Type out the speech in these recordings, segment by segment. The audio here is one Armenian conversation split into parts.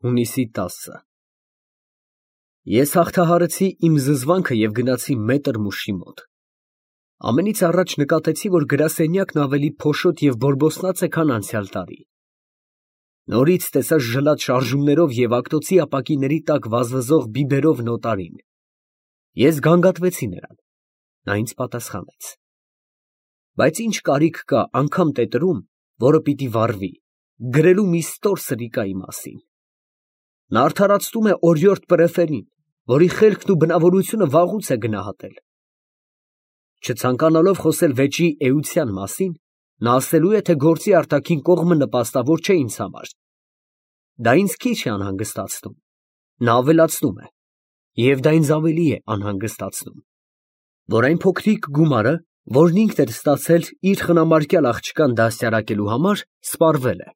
Հունիսի 10-ը Ես հաղթահարեցի իմ զզվանքը և գնացի մետր մուշի մոտ։ Ամենից առաջ նկատեցի, որ գրասենյակն ավելի փոշոտ և բորբոսնած է, քան անցյալ տարի։ Նորից տեսա ժլատ շարժումներով և ակտոցի ապակիների տակ վազվզող բիբերով նոտարին։ Ես գանգատվեցի նրան։ Նա ինձ պատասխանեց։ Բայց ինչ կարիք կա անգամ տետրում, որը պիտի վառվի, գրելու մի ստոր սրիկայի մասին։ Նա արդարացնում է օրիորդ Պրեֆերին, որի խելքն ու բնավորությունը վաղուց է գնահատել։ Չցանկանալով խոսել վեճի էության մասին, նա ասելու է, թե գործի արտաքին կողմը նպաստավոր չէ ինձ համար։ Դա ինձ քիչ է անհանգստացնում։ Նա ավելացնում է, և դա ինձ ավելի է անհանգստացնում, որ այն փոքրիկ գումարը, որն ինքն էր ստացել իր խնամարկյալ աղջկան դաստիարակելու համար, սպառվել է,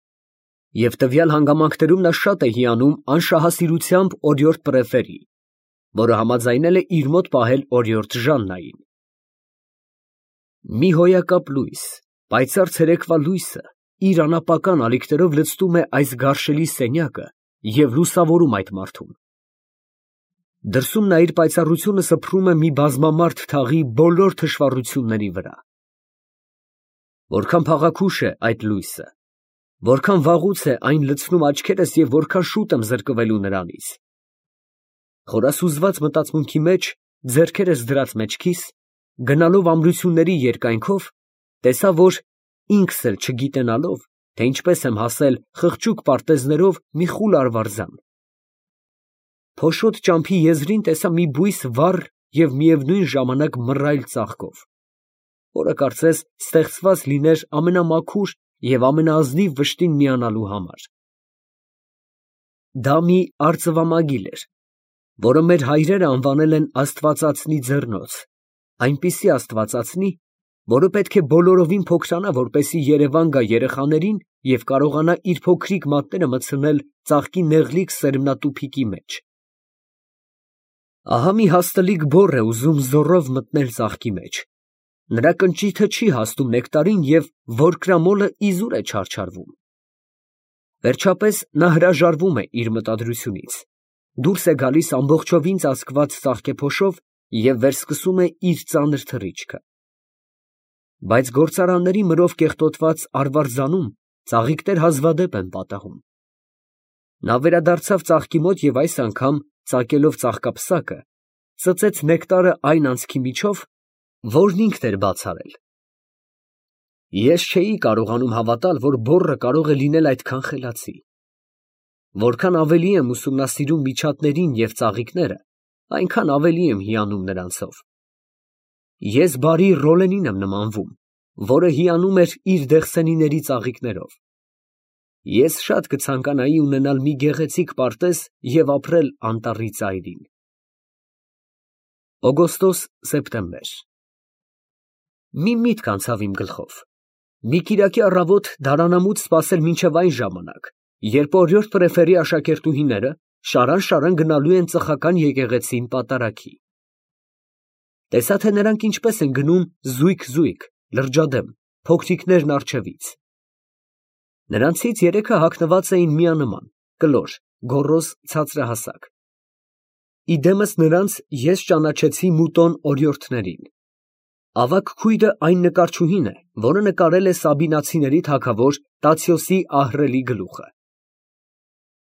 և տվյալ հանգամանքներում նա շատ է հիանում անշահասիրությամբ օրիորդ Պրեֆերի, որը համաձայնել է իր մոտ պահել օրիորդ Ժաննային։ Մի հոյակապ լույս, պայծառ ցերեկվա լույսը իր անապական ալիքներով լցնում է այս գարշելի սենյակը և լուսավորում այդ մարդուն։ Դրսում նա իր պայծառությունը սփռում է մի բազմամարդ թաղի բոլոր թշվառությունների վրա։ Որքան փաղաքուշ է այդ լույսը, որքան վաղուց է այն լցնում աչքերս և որքան շուտ եմ զրկվելու նրանից։ Խորասուզված մտածմունքի մեջ, ձեռքերս դրած մեջքիս, գնալով ամրությունների երկայնքով, տեսա, որ ինքս էլ չգիտենալով, թե ինչպես եմ հասել խղճուկ պարտեզներով մի խուլ արվարձան։ Փոշոտ ճամփի եզրին տեսա մի բույս վառ և միևնույն ժամանակ մռայլ ծաղկով, որը կարծես ստեղծված լիներ ամենամաքուր և ամենաազնիվ վշտին միանալու համար։ Դա մի արծվամագիլ էր, որը մեր հայրերը անվանել են Աստվածածնի ձեռնոց, այնպիսի աստվածածնի, որը պետք է բոլորովին փոքրանա, որպեսզի երևան գա երեխաներին և կարողանա իր փոքրիկ մատները մտցնել ծաղկի նեղլիկ սերմնատուփիկի մեջ։ Ահա մի հաստլիկ բոռ է ուզում զոռով մտնել ծաղկի մեջ, նրա կնճիթը չի հասնում նեկտարին և որկրամոլը իզուր է չարչարվում։ Վերջապես նա հրաժարվում է իր մտադրությունից, դուրս է գալիս ամբողջովին ծածկված ծաղկեփոշով և վերսկսում է իր ծանր թռիչքը։ Բայց գործարանների մրով կեղտոտված արվարձանում ծաղիկներ հազվադեպ են պատահում։ Նա վերադարձավ ծաղկի մոտ և այս անգամ, ծակելով ծաղկապսակը, ծծեց նեկտարը այն անցքի միջով, որն ինքն էր բաց արել։ Ես չէի կարողանում հավատալ, որ բոռը կարող է լինել այդքան խելացի։ Որքան ավելի եմ ուսումնասիրում միջատներին և ծաղիկները, այնքան ավելի եմ հիանում նրանցով։ Ես բարի Ռոլենին եմ նմանվում, որը հիանում էր իր դեղսենիների ծաղիկներով։ Ես շատ կցանկանայի ունենալ մի գեղեցիկ պարտեզ և ապրել անտառի ծայրին։ Օգոստոս֊սեպտեմբեր Մի միտք անցավ իմ գլխով. մի կիրակի առավոտ դարանամուտ սպասել մինչև այն ժամանակ, երբ օրիորդ Պրեֆերի աշակերտուհիները շարան գնալու են ծխական եկեղեցին պատարագի։ Տեսա, թե նրանք ինչպես են գնում զույգ, լրջադեմ, փոքրիկներն առջևից։ Նրանցից երեքը հագնված էին միանման, կլոր, գոռոզ, ցածրահասակ։ Իդեմս նրանց ես ճանաչեցի մուտոն օրիորդներին։ Ավագ քույրը այն նկարչուհին է, որը նկարել է Սաբինացիների թագավոր Տացիոսի ահռելի գլուխը։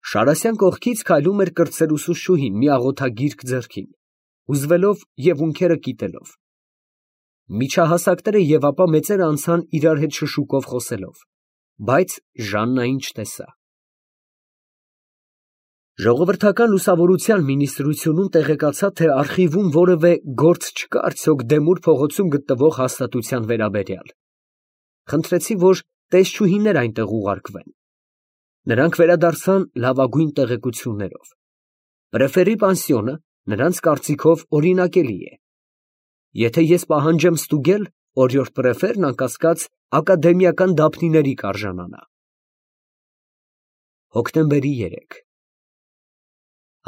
Շարասյան կողքից քայլում էր կրտսեր ուսուցչուհին մի աղոթագիրք ձեռքին, հուզվելով և ունքերը կիտելով։ Միջահասակները և ապա մեծերը անցան իրար հետ շշուկով խոսելով, բայց Ժաննային չտեսա։ Ժողովրդական լուսավորության մինիստրությունում տեղեկացա, թե արխիվում որևէ գործ չկա արդյոք Դեմուր փողոցում գտնվող հաստատության վերաբերյալ։ Խնդրեցի, որ տեսչուհիներ այնտեղ ուղարկվեն։ Նրանք վերադարձան լավագույն տեղեկություններով։ Պրեֆերի պանսիոնը նրանց կարծիքով օրինակելի է։ Եթե ես պահանջեմ ստուգել, օրիորդ Պրեֆերն անկասկած ակադեմիական դափնիների կարժանանա։ Հոկտեմբերի 3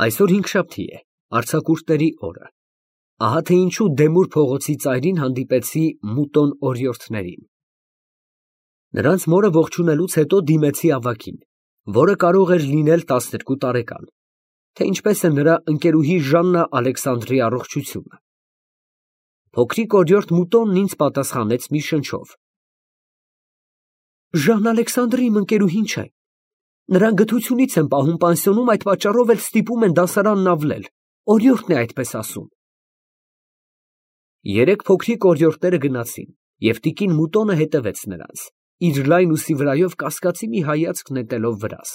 Այսօր հինգշաբթի է, արձակուրդների օրը։ Ահա թե ինչու Դեմուր փողոցի ծայրին հանդիպեցի մուտոն օրիորդներին։ Նրանց մորը ողջունելուց հետո դիմեցի ավագին, որը կարող էր լինել 12 տարեկան, թե ինչպես է նրա ընկերուհի Ժաննա Ալեքսանդրի առողջությունը։ Փոքրիկ օրիորդ Մուտոնն ինձ պատասխանեց մի շնչով. Ժան Ալեքսանդրի իմ ընկերուհին չէ։ Նրան գթությունից են պահում պանսիոնում, այդ պատճառով էլ ստիպում են դասարանն ավլել։ Օրիորդն է այդպես ասում։ Երեք փոքրիկ օրիորդները գնացին, և տիկին Մուտոնը հետևեց նրանց, իր լայն ուսի վրայով կասկածի մի հայացք նետելով վրաս։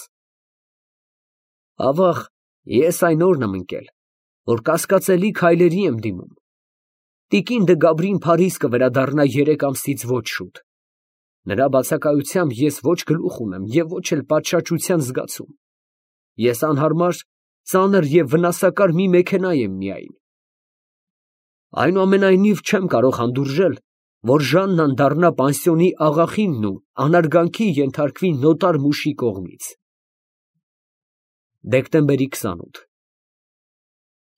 Ավաղ, ես այն օրն եմ ընկել, որ կասկածելի քայլերի եմ դիմում։ Տիկին դե Գաբրին Փարիզ կվերադառնա 3 ամսից ոչ շուտ։ Նրա բացակայությամբ ես ոչ գլուխ ունեմ և ոչ էլ պատշաճության զգացում։ Ես անհարմար, ծանր և վնասակար մի մեքենա եմ միայն։ Այնուամենայնիվ չեմ կարող հանդուրժել, որ Ժաննան դառնա պանսիոնի աղախինն ու անարգանքի ենթարկվի նոտար մուշի կողմից։ Դեկտեմբերի 28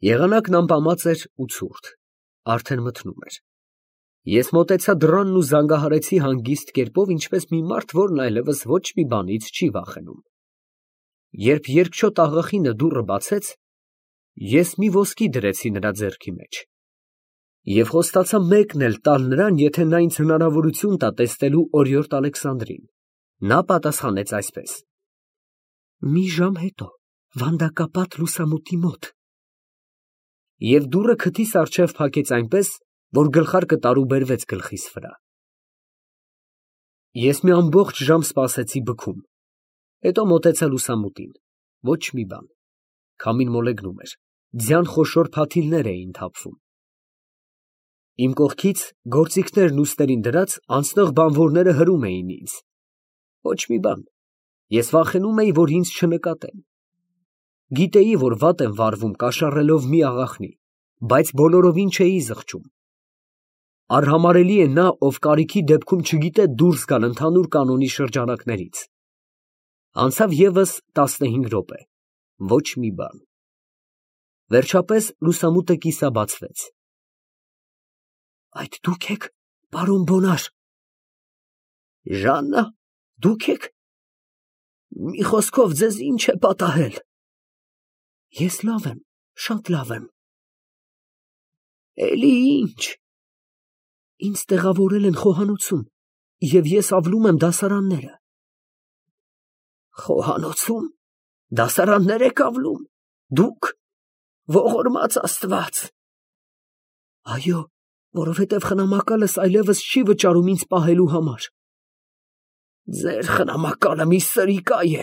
Եղանակն ամպամած էր ու ցուրտ, արդեն մթնում էր։ Ես մոտեցա դռանն ու զանգահարեցի հանգիստ կերպով, ինչպես մի մարդ, որն այլևս ոչ մի բանից չի վախենում։ Երբ երկչոտ աղախինը դուռը բացեց, ես մի ոսկի դրեցի նրա ձեռքի մեջ և խոստացա մեկն էլ տալ նրան, եթե նա ինձ հնարավորություն տա տեսնելու օրիորդ Ալեքսանդրին։ Նա պատասխանեց այսպես. մի ժամ հետո, վանդակապատ լուսամուտի մոտ։ Եվ դուռը քթիս առջև փակեց այնպես, որ գլխարկը տարուբերվեց գլխիս վրա։ Ես մի ամբողջ ժամ սպասեցի բքում, հետո մոտեցա լուսամուտին, ոչ մի բան, քամին մոլեգնում էր, ձյան խոշոր փաթիլներ էին թափվում։ Իմ կողքից գործիքներն ուսներին դրած անցնող բանվորները հրում էին ինձ։ Ոչ մի բան, ես վախենում էի, որ ինձ չնկատեն։ Գիտեի, որ վատ եմ վարվում կաշառելով մի աղախնի, բայց բոլորովին չէի զղջում։ Արհամարհելի է նա, ով կարիքի դեպքում չգիտե դուրս գալ ընդհանուր կանոնի շրջանակներից։ Անցավ ևս 15 րոպե, ոչ մի բան։ Վերջապես լուսամուտը կիսաբացվեց։ Այդ դուք եք, պարոն Բոնար։ Ժաննա, դուք եք։ Մի խոսքով ձեզ ինչ է պատահել։ Ես լավ եմ, շատ լավ եմ։ Էլի ինչ։ Ինձ տեղավորել են խոհանոցում, և ես ավլում եմ դասարանները։ Խոհանոցում, դասարաններ եք ավլում, դուք, ողորմած Աստված։ Այո, որովհետև խնամակալս այլևս չի վճարում ինձ պահելու համար։ Ձեր խնամակալը մի սրիկա է։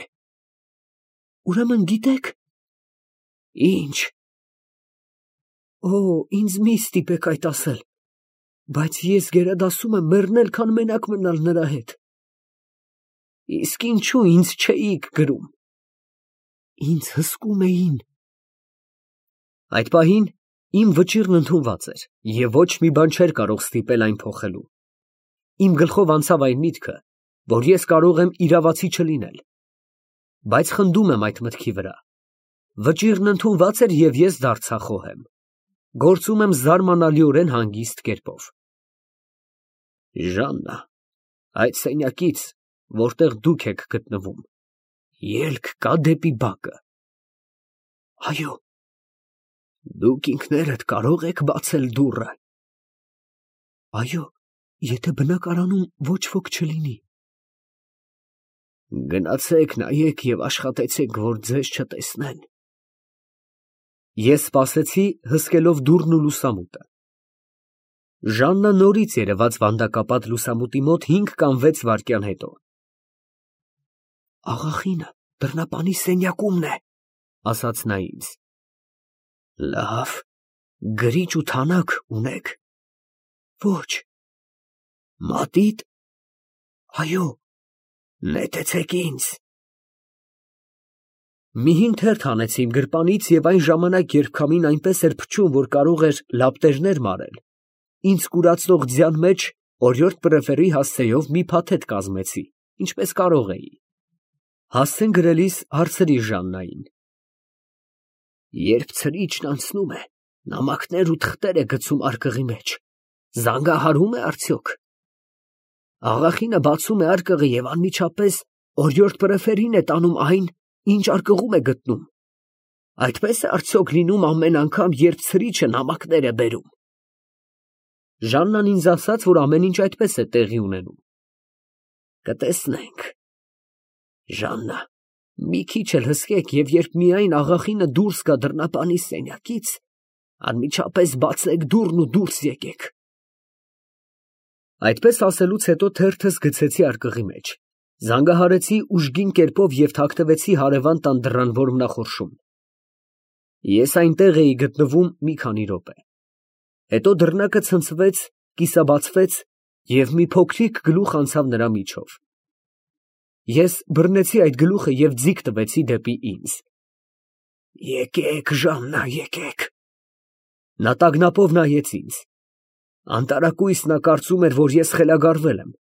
Ուրեմն գիտեք։ Ինչ։ Օ, ինձ մի ստիպեք այդ ասել, բայց ես գերադասում եմ մեռնել, քան մենակ մնալ նրա հետ։ Իսկ ինչու ինձ չէիք գրում։ Ինձ հսկում էին։ Այդ պահին իմ վճիռն ընդունված էր, և ոչ մի բան չէր կարող ստիպել այն փոխելու։ Իմ գլխով անցավ այն միտքը, որ ես կարող եմ իրավացի չլինել, բայց խնդում եմ այդ մտքի վրա։ Վճիռն ընդունված էր, և ես դարձա խոհեմ։ Գործում եմ զարմանալիորեն հանգիստ կերպով։ Ժաննա, այդ սենյակից, որտեղ դուք եք գտնվում, ելք կա դեպի բակը։ Այո։ Դուք ինքներդ կարող եք բացել դուռը։ Այո, եթե բնակարանում ոչ ոք չլինի։ Գնացեք, նայեք և աշխատեցեք, որ ձեզ չտեսնեն։ Ես սպասեցի, հսկելով դուռն ու լուսամուտը։ Ժաննա նորից երևաց վանդակապատ լուսամուտի մոտ 5 կամ 6 վայրկյան հետո։ Աղախինը դռնապանի սենյակումն է, ասաց նա ինձ։ Լավ, գրիչ ու թանակ ունեք։ Ոչ։ Մատիտ։ Այո, նետեցեք ինձ։ Միհին թերթ հանեցի իմ գրպանից և այն ժամանակ, երբ քամին այնպես էր փչում, որ կարող էր լապտերներ մարել, ինձ կուրացնող ձյան մեջ օրիորդ պրեֆերի հասցեով մի փաթեթ կազմեցի, ինչպես կարող էի։ Հասցեն գրելիս հարցրի Ժաննային. Երբ ցրիչն անցնում է, նամակներ ու թղթեր է գցում արկղի մեջ, զանգահարում է արդյոք։ Աղախինը բացում է արկղը և անմիջապես օրիորդ պրեֆերին է տանում այն, ինչ արկղում է գտնում։ Այդպես է արդյոք լինում ամեն անգամ, երբ ցրիչը նամակներ է բերում։ Ժաննան ինձ ասաց, որ ամեն ինչ այդպես է տեղի ունենում։ Կտեսնենք։ Ժաննա, մի քիչ էլ հսկեք, և երբ միայն աղախինը դուրս գա դռնապանի սենյակից, անմիջապես բացեք դուռն ու դուրս եկեք։ Այդպես ասելուց հետո թերթս գցեցի արկղի մեջ, զանգահարեցի ուժգին կերպով և թաքնվեցի հարևան տան դռան որմնախորշում։ Ես այնտեղ էի գտնվում մի քանի րոպե։ Հետո դռնակը ցնցվեց, կիսաբացվեց, և մի փոքրիկ գլուխ անցավ նրա միջով։ Ես բռնեցի այդ գլուխը և ձիգ տվեցի դեպի ինձ։ Եկեք, Ժաննա, եկեք։ Նա տագնապով նայեց ինձ։ Անտարակույս նա կարծում էր, որ ես խելագարվել եմ։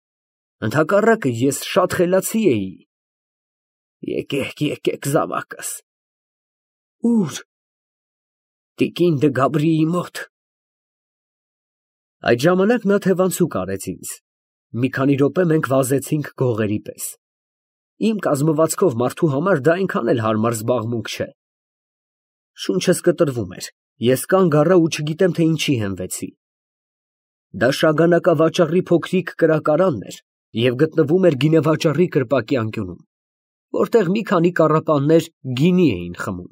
Ընդհակառակը ես շատ խելացի էի։ Եկեք, եկեք զավակս։ Ո՞ւր։ Տիկին դը Գաբրիի մոտ։ Այդ ժամանակ նա թևանցուկ արեց ինձ։ Մի քանի րոպե մենք վազեցինք գողերի պես։ Իմ կազմվածքով մարդու համար դա այնքան էլ հարմար զբաղմունք չէ։ Շունչս կտրվում էր, ես կանգ առա ու չգիտեմ, թե ինչի հենվեցի։ Դա շագանակավաճառի փոքրիկ կրակարանն էր և գտնվում էր գինեվաճառի կրպակի անկյունում, որտեղ մի քանի կառապաններ գինի էին խմում։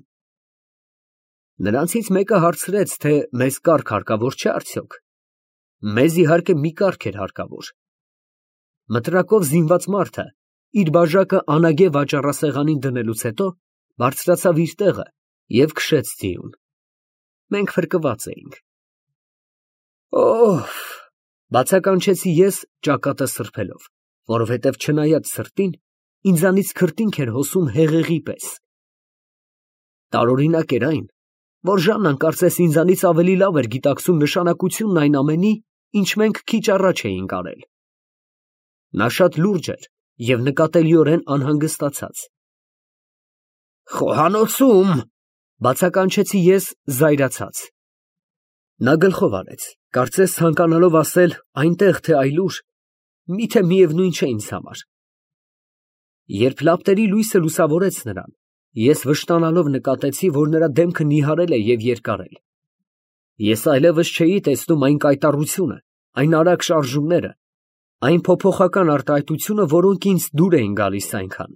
Նրանցից մեկը հարցրեց, թե մեզ կառք հարկավոր չէ արդյոք։ Մեզ իհարկե մի կառք էր հարկավոր։ Մտրակով զինված մարդը իր բաժակը անագե վաճառասեղանին դնելուց հետո բարձրացավ իր տեղը և քշեց ձիուն։ Մենք փրկված էինք։ Օհ, բացականչեցի ես ճակատը սրբելով, որովհետև չնայած սրտին, ինձանից քրտինք էր հոսում հեղեղի պես։ Տարօրինակ էր այն, որ Ժաննան կարծես ինձանից ավելի լավ էր գիտակցում նշանակությունն այն ամենի, ինչ մենք քիչ առաջ էինք արել։ Նա շատ լուրջ էր և նկատելիորեն անհանգստացած։ Խոհանոցում, բացականչեցի ես զայրացած։ Նա գլխով արեց, կարծես ցանկանալով ասել այնտեղ թե այլուր, միթե միևնույն չէ ինձ համար։ Երբ լապտերի լույսը լուսավորեց նրան, ես վշտանալով նկատեցի, որ նրա դեմքը նիհարել է և երկարել։ Ես այլևս չէի տեսնում այն կայտառությունը, այն արագ շարժումները, այն փոփոխական արտահայտությունը, որոնք ինձ դուր էին գալիս այնքան։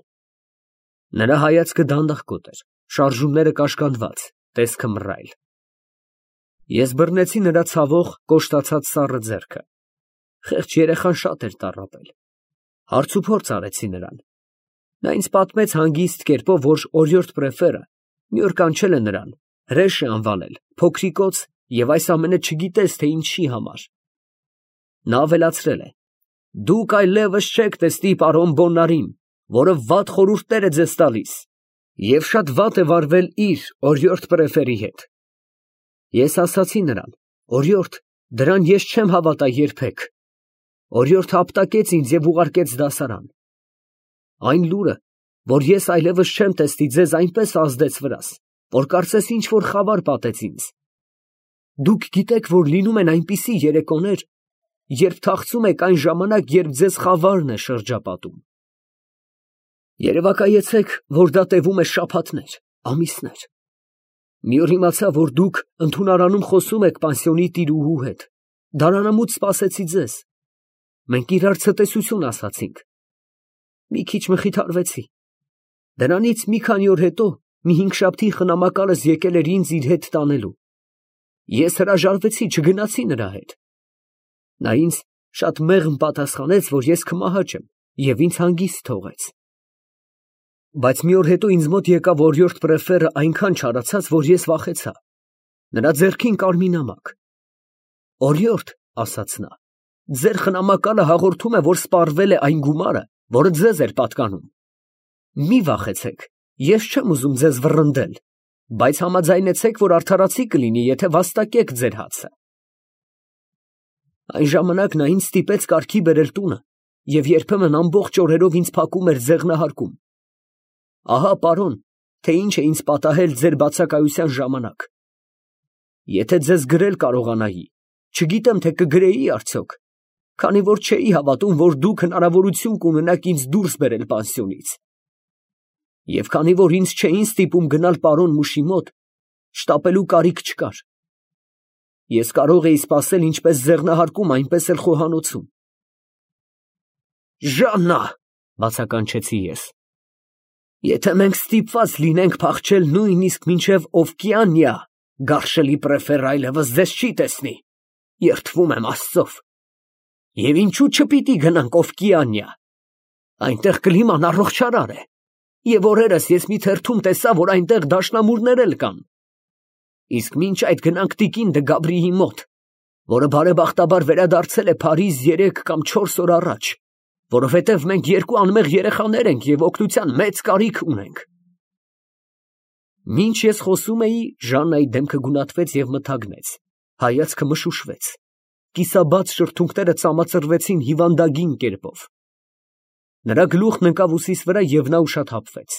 Նրա հայացքը դանդաղկոտ էր, շարժումները կաշկանդված, տեսքը մռայլ։ Ես բռնեցի նրա ցավող, կոշտացած սառը ձեռքը։ Խեղճ երեխան շատ էր տառապել։ Հարցուփորձ արեցի նրան։ Նա ինձ պատմեց հանգիստ կերպով, որ օրիորդ պրեֆերը մի օր կանչել է նրան, հրեշ է անվանել, փոքրիկոց և այս ամենը չգիտես, թե ինչի համար։ Նա ավելացրել է. Դուք այլևս չեք տեսնի պարոն Բոննարին, որը վատ խորհուրդներ է ձեզ տալիս, և շատ վատ է վարվել իր օրիորդ պրեֆերի հետ։ Ես ասացի նրան. օրիորդ, դրան ես չեմ հավատա երբեք։ Օրիորդը ապտակեց ինձ և ուղարկեց դասարան։ Այն լուրը, որ ես այլևս չեմ տեսնի ձեզ, այնպես ազդեց վրաս, որ կարծես ինչ-որ խավար պատեց ինձ։ Դուք գիտեք, որ լինում են այնպիսի երեկոներ, երբ թախծում եք այն ժամանակ, երբ ձեզ խավարն է շրջապատում։ Երևակայեցեք, որ դա տևում է շաբաթներ, ամիսներ։ Մի օր իմացա, որ դուք ընդունարանում խոսում եք պանսիոնի տիրուհու հետ, դարանամուտ սպասեցի ձեզ։ Մենք իրար ցտեսություն ասացինք։ Մի քիչ մխիթարվեցի։ Դրանից մի քանի օր հետո մի հինգշաբթի խնամակալս եկել էր ինձ իր հետ տանելու։ Ես հրաժարվեցի, չգնացի նրա հետ։ Նա ինձ շատ մեղմ պատասխանեց, որ ես քմահաճ եմ, և ինձ հանգիստ թողեց։ Բայց մի օր հետո ինձ մոտ եկավ օրիորդ պրեֆերը այնքան չարացած, որ ես վախեցա։ Նրա ձեռքին կար մի նամակ։ Օրիորդ, ասաց նա, ձեր խնամակալը հաղորդում է, որ սպառվել է այն գումարը, որը ձեզ էր պատկանում։ Մի վախեցեք, ես չեմ ուզում ձեզ վռնդել, բայց համաձայնեցեք, որ արդարացի կլինի, եթե վաստակեք ձեր հացը։ Այն ժամանակ նա ինձ ստիպեց կարգի բերել տունը և երբեմն ամբողջ օրերով ինձ փակում էր ձեղնահարկում։ Ահա, պարոն, թե ինչ է ինձ պատահել ձեր բացակայության ժամանակ։ Եթե ձեզ գրել կարողանայի, չգիտեմ, թե կգրեի արդյոք, քանի որ չէի հավատում, որ դուք հնարավորություն կունենաք ինձ դուրս բերել պանսիոնից։ Եվ քանի որ ինձ չէին ստիպում գնալ պարոն Մուշի մոտ, շտապելու կարիք չկար։ Ես կարող էի սպասել ինչպես ձեղնահարկում, այնպես էլ խոհանոցում։ Ժաննա, բացականչեցի ես, եթե մենք ստիպված լինենք փախչել նույնիսկ մինչև Օվկիանիա, գարշելի պրեֆեր այլևս ձեզ չի տեսնի, երդվում եմ Աստծով։ Եվ ինչու չպիտի գնանք Օվկիանիա, այնտեղ կլիման առողջարար է, և օրերս ես մի թերթում տեսա, որ այնտեղ դաշնամուրներ էլ կան։ Իսկ մինչ այդ գնանք տիկին Դը Գաբրիի մոտ, որը բարեբախտաբար վերադարձել է Փարիզ 3 կամ 4 օր առաջ, որովհետև մենք երկու անմեղ երեխաներ ենք և օգնության մեծ կարիք ունենք։ Մինչ ես խոսում էի, Ժաննայի դեմքը գունատվեց և մթագնեց, հայացքը մշուշվեց, կիսաբաց շրթունքները ծամածրվեցին հիվանդագին կերպով։ Նրա գլուխն ընկավ ուսիս վրա և նա ուշաթափվեց։